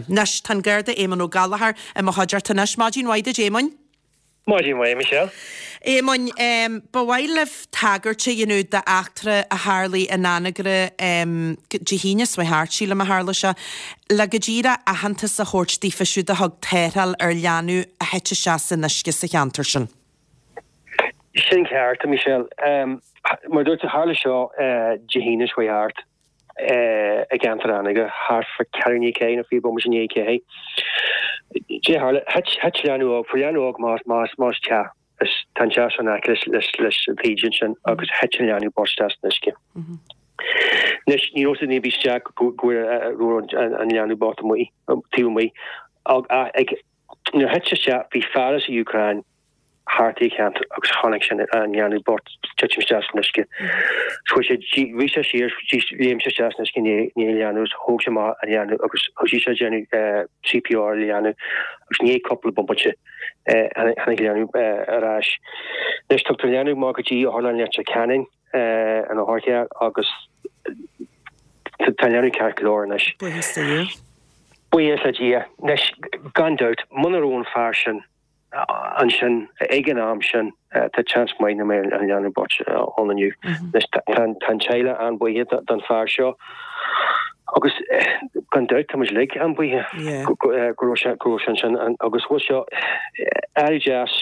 Anois, tá an Garda Éamonn Ó Gallchóir i mo chuideachta anois. Maidin mhaith duit, Éamoinn. Maidin mhaith, Michelle. Éamoinn, ba mhaith libh tagairt a dhéanamh d'eachtra a tharlaigh in Anagaire Dé hAoine seo thart, sílim a tharla sé, le go díreach aitheantas a thabhairt daofa siúd a thug tarrtháil ar leanbh a thit isteach san uisce sa cheantar sin. Sin ceart, a Michelle. Mar a dúirt tú, tharla seo Dé hAoine seo thart i gceantar Anagaire, thart fá ceathrú i ndiaidh 4 nó 20 bomaite i ndiaidh 4. Dé tharla, thit leanbh óg, fuair leanbh óg amach as teach, is tá an teach seo in aice leis an taoide ansin agus thit an leanbh bocht isteach san uisce. Anois, ní raibh duine ar bith isteach go raibh an leanbh bocht amuigh, taobh amuigh. Ach nuair a thit sé isteach, bhí fear as an Úcráin thart sa cheantar agus chonaic sé an leanbh bocht titim isteach san uisce. Chuaigh sé, rith sé siar, léim sé isteach san uisce i ndiaidh an leanbh agus thóg sé amach an leanbh agus thosaigh sé ag déanamh CPR ar an leanbh agus i ndiaidh cúpla bomaite tháinig an leanbh ar ais. Anois tugtar an leanbh amach go dtí Otharlann Leitir Ceanainn an otharcharr agus tá an leanbh ceart go leor anois. Buíochas le Dia. Buíochas le Dia. Anois gan dabht muna raibh an fear sin ansin, ag an am sin, tá seans maith nach mbeadh an leanbh bocht ann inniu. Anois, tá an teaghlach an-bhuíoch don fear seo agus gan dabht tá muid uilig an-bhuíoch go raibh sé go raibh sé ansin agus bhfuil seo an-deas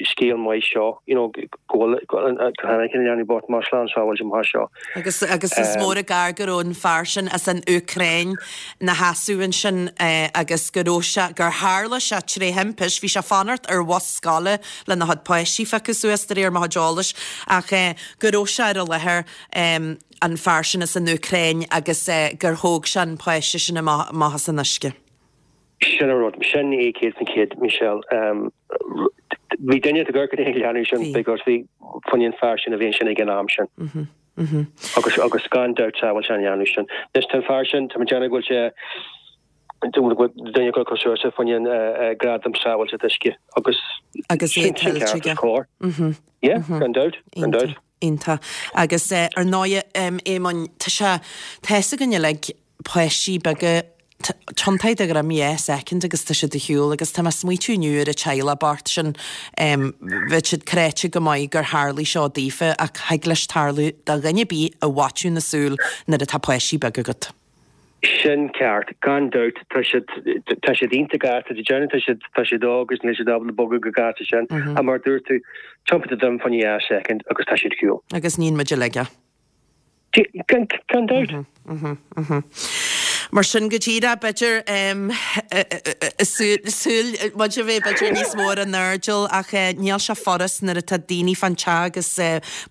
scéal maith seo you know go bhfuil go tháinig an leanbh bocht amach slán sábháilte amach as seo. Agus agus is mór an gar go raibh an fear sin as an Úcráin 'na sheasamh ansin agus go raibh sé, gur tharla sé tré thimpist, bhí sé ag fanacht ar bhus scoile lena chuid páistí a phiocadh suas de réir mo chuid eolais ach go raibh sé ar an láthair, an fear sin as an Úcráin agus gur thóg sé an páiste sin amach as an uisce. Sin an rud. Sin é 100%, Michelle. Bhí duine ag amharc ar an leanbh sin because bhí fá choinne an fear sin a bhí ansin ag an am sin. Agus agus gan dabht sábháil sé an leanbh sin. Anois tá an fear sin, tá mé ag déanamh go bhfuil sé duine acu curtha suas fá choinne an gradam sábháilte uisce agus Agus é sin sin tuillte ceart aige. is cóir. Yeah, gan dabht, gan dabht. Iontach. Agus ar ndóigh, Éamoinn, tá sé, tá fhios againn uilig, páistí beaga, tiontaigh do dhroim dhá soicind agus tá siad ar shiúl agus tá mé ag smaoitiú inniu ar an teaghlach bocht sin, bheadh siad cráite go maith gur tharlaigh seo daofa ach thig leis tarlú do dhuine ar bith i bhfaiteadh na súl nuair atá páistí beaga agat. Sin ceart, gan dabht. Tá siad, tá siad iontach gasta, tá déanamh, tá siad, tá siad óg agus níl siad ábalta bogadh chomh gasta sin. Ach mar a dúirt tú, tiontaigh do dhroim fá choinne dhá soicind agus tá siad ar shiúl. Agus níonn muid uilig é. Gan dabht. Mar sin, go díreach, b'fhéidir, súil, muid a bheith b'fhéidir níos mó ar an airdeall ach níl sé furast nuair atá daoine fán teach agus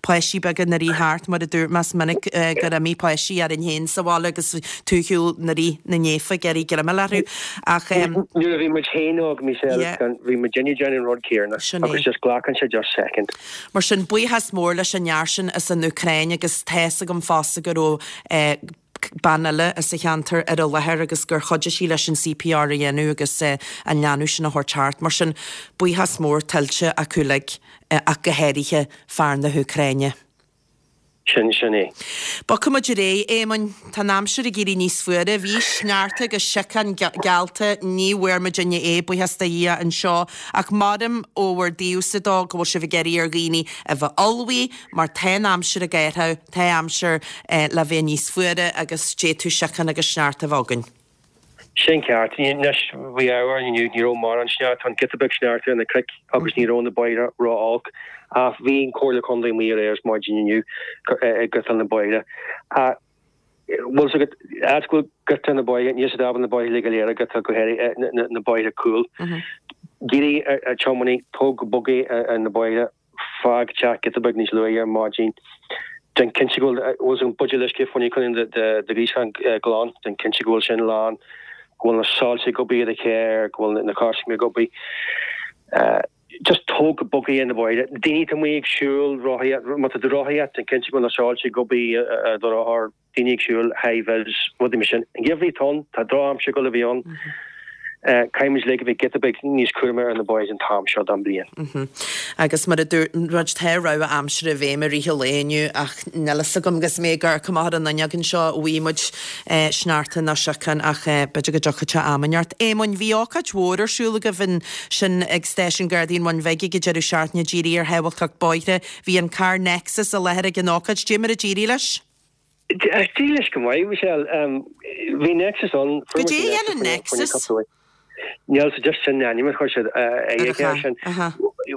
páistí beaga ina rith thart, mar a dúirt mé, is minic gur imigh páistí orainn féin sa bhaile agus tú ar shiúl 'na rith na néafa ag iarraidh greim a fháil orthu ach. Nuair a bhí muid féin óg, Michelle, bhí muidinne ag déanamh an rud céanna agus just glacann sé just second. Mar sin, buíochas mór leis an fhear sin as an Úcráin agus tá fhios agam fosta go raibh bean eile as an cheantar ar an láthair agus gur chuidigh sí leis an CPR a dhéanamh agus an leanbh sin a thabhairt thart. Mar sin, buíochas mór tuillte acu uilig ach go háirithe fear na hÚcráine. Sin, sin é. Bogfaidh muid ar aghaidh, Éamoinn. Tá an aimsir ag éirí níos fuaire. Bhí sneachta agus síocán geallta, ní bhfuair muidinne é, buíochas do Dhia, anseo. Ach maram ó bhur dtaobhsa dó go bhfuil sibh ag iarraidh ar dhaoine a bheith ullmhaithe, mar tá an aimsir ag athrú, tá aimsir le bheith níos fuaire agus d'fhéadfadh síocán agus sneachta a bheith againn. Sin ceart. Anois, bhí ádh orainn inniu, ní raibh mórán sneachta, tá an giota beag sneachta ar na cnoic agus ní raibh na bóithre ró-olc. Ach bhí an Comhairle Contae amuigh aréir ar maidin inniu ag griotáil na bóithre. Ach bhfuil fhios agat, áit go bhfuil griotáil na bóithre, níl siad ábalta na bóithre uilig go léir a ghriotáil, go háirithe na bóithre cúil. D'iarr ar tiománaí, tóg go bog é ar na bóithre. Fág teach giota beag níos luaithe ar maidin. Déan cinnte go bhfuil an buidéal uisce fá choinne do ghríosán glan. Déan cinnte go bhfuil sin lán, go bhfuil na soilse ag obair i do charr, go bhfuil na coiscéim ag obair. Just tóg go bog é ar na bóithre. Daoine atá amuigh ag siúl, rothaíocht, má tá tú ag rothaíocht, déan cinnte go bhfuil na soilse ag obair ar do rothar, daoine ag siúl, high vis, rudaí mar sin. An geimhreadh atá ann, tá drochaimsir ag dul a bheith ann. Caithfidh muid uilig a bheith giota beag níos cúramaí ar na bóithre an t-am seo den bhliain. Agus mar a dúirt muid, tá rabhadh aimsire i bhfeidhm i rith an lae inniu ach níl fhios agam agus mé ag amharc amach ar an fhuinneog anseo an bhfaighidh muid sneachta nó siocán ach b'fhéidir go dtiocfaidh sé am inteacht. Éamoinn, bhí ócáid mhór ar siúl agaibh ansin ag Stáisiún Gardaí an Bhun Bhig ag an deireadh seachtaine dírithe ar shábháilteacht bóithre. Bhí an carr Nexus i láthair ag an ócáid. Dé mar a d'éirigh leis? D'éirigh leis go maith, Michelle. Bhí Nexus ann. Goidé a dhéanann Nexus? Níl so just sin an ainm a chuir siad ar an charr sin.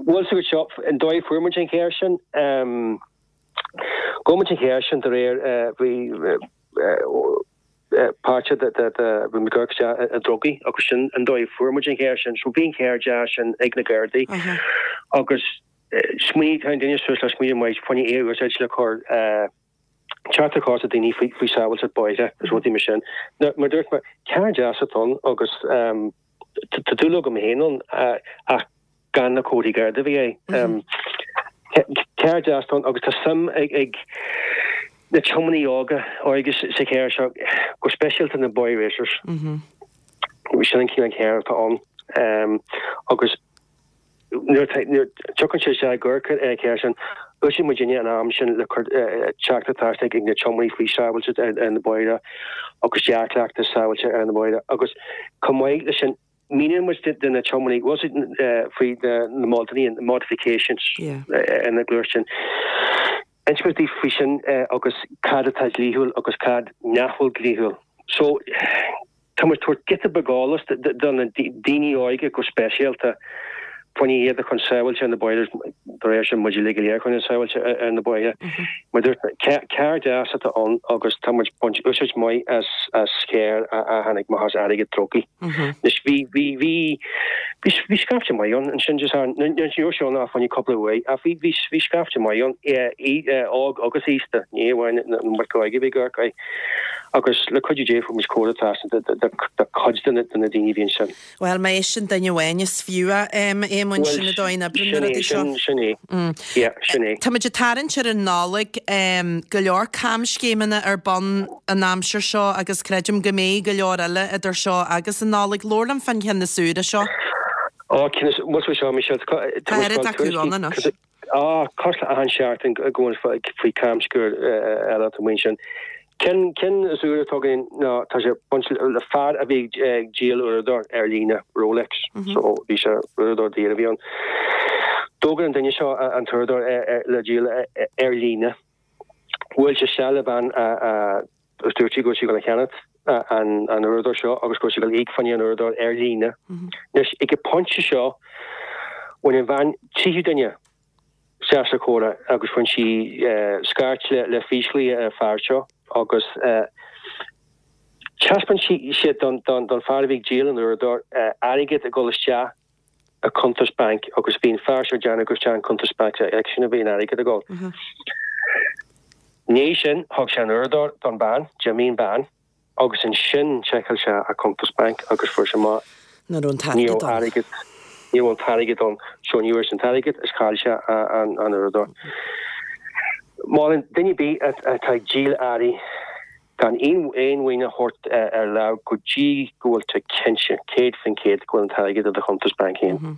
Bhuel so seo an dóigh a fuair muid an charr sin. Ghabh muid an charr sin de réir bhí páirte de bhí muid ag amharc isteach i drugaí agus sin an dóigh a fuair muid an charr sin. So bhí an charr deas sin ag na Gardaí agus smaoinigh tháinig duine suas le smaoineamh maith fá choinne é a úsáid le cur teacht ar chás daoine faoi sábháilteacht bóithre agus rudaí mar sin. Now, mar a dúirt mé, carr deas atá ann agus tá dúil agam féin ann ach gan na comharthaí Garda a bhí air. Carr deas atá ann agus tá suim ag na tiománaithe óga óige sa charr seo, go speisialta na boy racers. Sin an cineál carr atá ann agus Nuair a tiocfaidh sé isteach i gcomhair ar an charr sin, úsáideann muidinne an am sin le cur teachtaireacht trasna ag na tiománaithe faoi sábháilteacht ar na bóithre agus dea-chleachtas sábháilte ar na bóithre agus chomh maith leis sin míníonn muid do na tiománaithe bhfuil siad faoi na modhanna, modifications ar na gluaisteáin. Insíonn muid daofa faoi sin agus cad atá dlíthiúil agus cad nach bhfuil dlíthiúil. So, tá muid ag tabhairt giota beag eolas do na daoine óige go speisialta fá choinne iad a chur sábháilte ar na bóithre, de réir sin muid uilig go léir a choinneáil sábháilte ar na bóithre. Mar dúirt mé, carr deas atá ann agus tá muid ag baint úsáid maith as as charr a tháinig amach as airgead drugaí. Anois bhí bhí bhí bhí bhí scaifte maith ann ansin just an ní raibh sé ann ach fá choinne cúpla uair ach bhí bhí bhí scaifte maith ann óg agus aosta ní amháin na mic óige a bhí ag amharc air agus le cuidiú Dé fuair muid comhrá trasna de de de cuid de na de na daoine a bhí ansin. Bhuel, má éisteann duine amháin is fiú é, Éamoinn, sin an dóigh a n-oibreann na rudaí seo. Sin é, sin é. Yeah, sin é. Táimid ag tarraingt ar an Nollaig, go leor camscéimeanna ar bun an aimsir seo agus creidim go mbeidh go leor eile idir seo agus an Nollaig. Labhair liom fán cheann is úire seo. Ó, ceann is, bhuel seo, Michelle, tá Tá oiread acu ann anois. Á, cosúil le achan seachtain go bhfuil faoi camscéim eile atá amuigh ansin. Ceann, ceann is úire atá againn ná tá sé baint le fear a bhí ag díol uaireadóir ar líne, Rolex, so bhí sé, uaireadóir daor a bhí ann. D'fhógair an duine seo an t-uaireadóir le díol ar líne. Bhuail sé isteach le bean a, a, agus dúirt sí go bhfuil sí ag dul a cheannacht an uaireadóir seo agus go bhfuil sí ag dul íoc fá choinne an uaireadóir ar líne. Anois, ag an pointe seo, bhain an bhean tríú duine isteach sa chomhrá agus bhain sí scairt le físghlaoch ar an fear seo agus thaispeáin sí don fear a bhí ag díol an uaireadóir airgead ag dul isteach a cuntas bainc agus bhí an fear seo ag déanamh gur isteach an cuntas bainc aige-sin a bhí an airgead ag dul. I ndiaidh sin thug sé an uaireadóir don bean, d'imigh an bean agus ansin sheiceáil sé a cuntas bainc agus fuair sé amach Ní raibh an t-airgead ann. Ní raibh an t-airgead ann so ní raibh an t-airgead is chaill sé an uaireadóir. Molaim duine ar bith atá ag díol earraí Gan aon mhaoin a thabhairt ar láimh go dtí go bhfuil tú cinnte, 100%, go bhfuil an t-airgead i do chuntas bainc féin.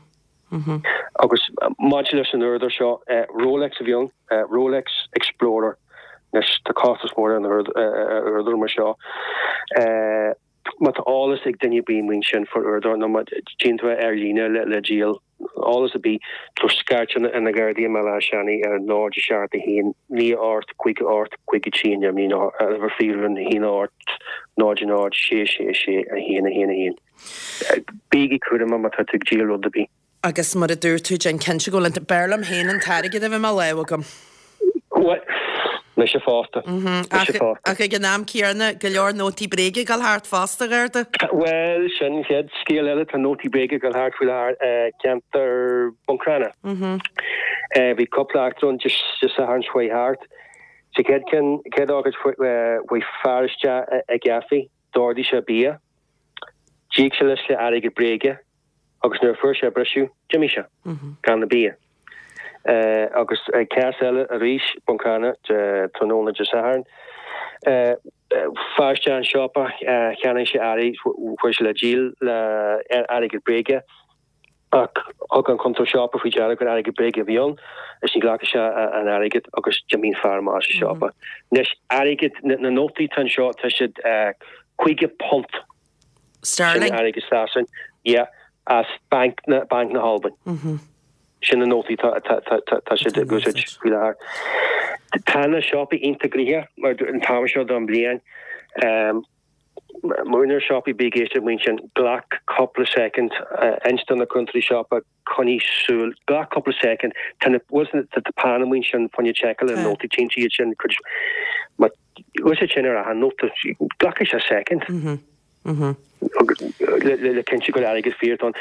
Agus maidir leis an uaireadóir seo, Rolex a bhí ann, Rolex Explorer. Anois, tá costas mór ar an uaireadóir mar seo. Má tá eolas ag duine ar bith amuigh ansin faoin uaireadóir nó má tchíonn tú é ar líne le díol, eolas ar bith, tabhair scairt ar na Gardaí i mBaile Átha Seanaidh ar 0 7 1 9 8 5 8 5 3 9 nó ar uimhir fíorúil 1 8 0 0 6 6 6 1 1 1. Bígí cúramach má tá tú ag díol rud ar bith. Agus mar a dúirt tú, déan cinnte go bhfuil an, b'fhearr liom féin an t-airgead a bheith i mo lámh agam. Bhuel, mise fosta. Mise fosta. Ach ag an am céanna, go leor nótaí bréige ag dul thart fosta, a Gharda. Bhuel, sin an chéad scéal eile, tá nótaí bréige ag dul thart faoi láthair i gceantar Buncrana. Bhí cúpla eachtra ann Dé Sathairn seo chuaigh thart. Sa chéad ceann, chéad ócáid, chuaigh fear isteach i gcaife, d'ordaigh sé bia, d'íoc sé leis le airgead bréige, agus nuair a fuair sé a briseadh, d'imigh sé gan an bia. Agus cás eile arís, Buncrana, tráthnóna Dé Sathairn. Fear isteach an siopa, cheannaigh sé earraí, chuir sé le díol le airgead bréige ach thug an cuntóir siopa faoi deara gur airgead bréige a bhí ann is ní ghlac sé an airgead agus d'imigh an fear amach as an siopa. Anois, airgead, na nótaí atá anseo, tá siad £50. Sterling. Sin airgead Sasain, yeah, as Banc na, Banc na hAlbain. Sin na nótaí tá, tá, tá, tá, tá siad ag úsáid faoi láthair. Tá na siopaí iontach gnoitheach mar an t-am seo don bhliain. Úinéir siopaí bí ag éisteacht amuigh ansin, glac cúpla soicind, inis do na cúntóirí siopa, coinnigh súil, glac cúpla soicind, tá na, bhfuil na, tá peann amuigh ansin fá choinne seiceáil ar nótaí, cinntigh iad sin, cuid, má úsáid sin ar achan nóta, glacfaidh sé soicind le, le, le cinntiú gur airgead fíor atá ann.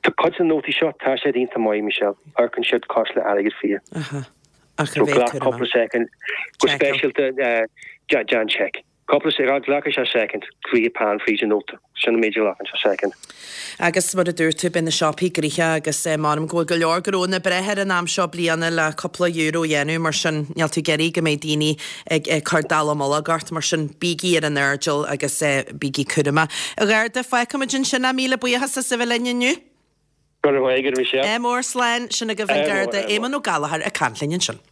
Tá cuid de na nótaí seo, tá siad iontach maith, Michelle, amharcann siad cosúil le airgead fíor. Aha. Ach a So bheith glac cúramach. cúpla soicind, go Seiceáil. speisialta, déan seic. Cúpla soicind, glacfaidh sé soicind, rith peann fríd an nóta, sin an méid a ghlacann sé soicind. Agus mar a dúirt tú, beidh na siopaí gnoitheach agus m'anam go bhfuil go leor gnónna ag breith ar an am seo bliana le cúpla euro a dhéanamh, mar sin níl tú ag iarraidh go mbeidh daoine ag cur dallamullóg ort, mar sin bígí ar an airdeall agus bígí cúramach. A Gharda, fágfaimid ansin é, míle buíochas as a bheith linn inniu. Go raibh maith agat, Michelle. Ádh mór, slán, sin agaibh an Garda Éamonn Ó Gallchóir ag caint linn ansin.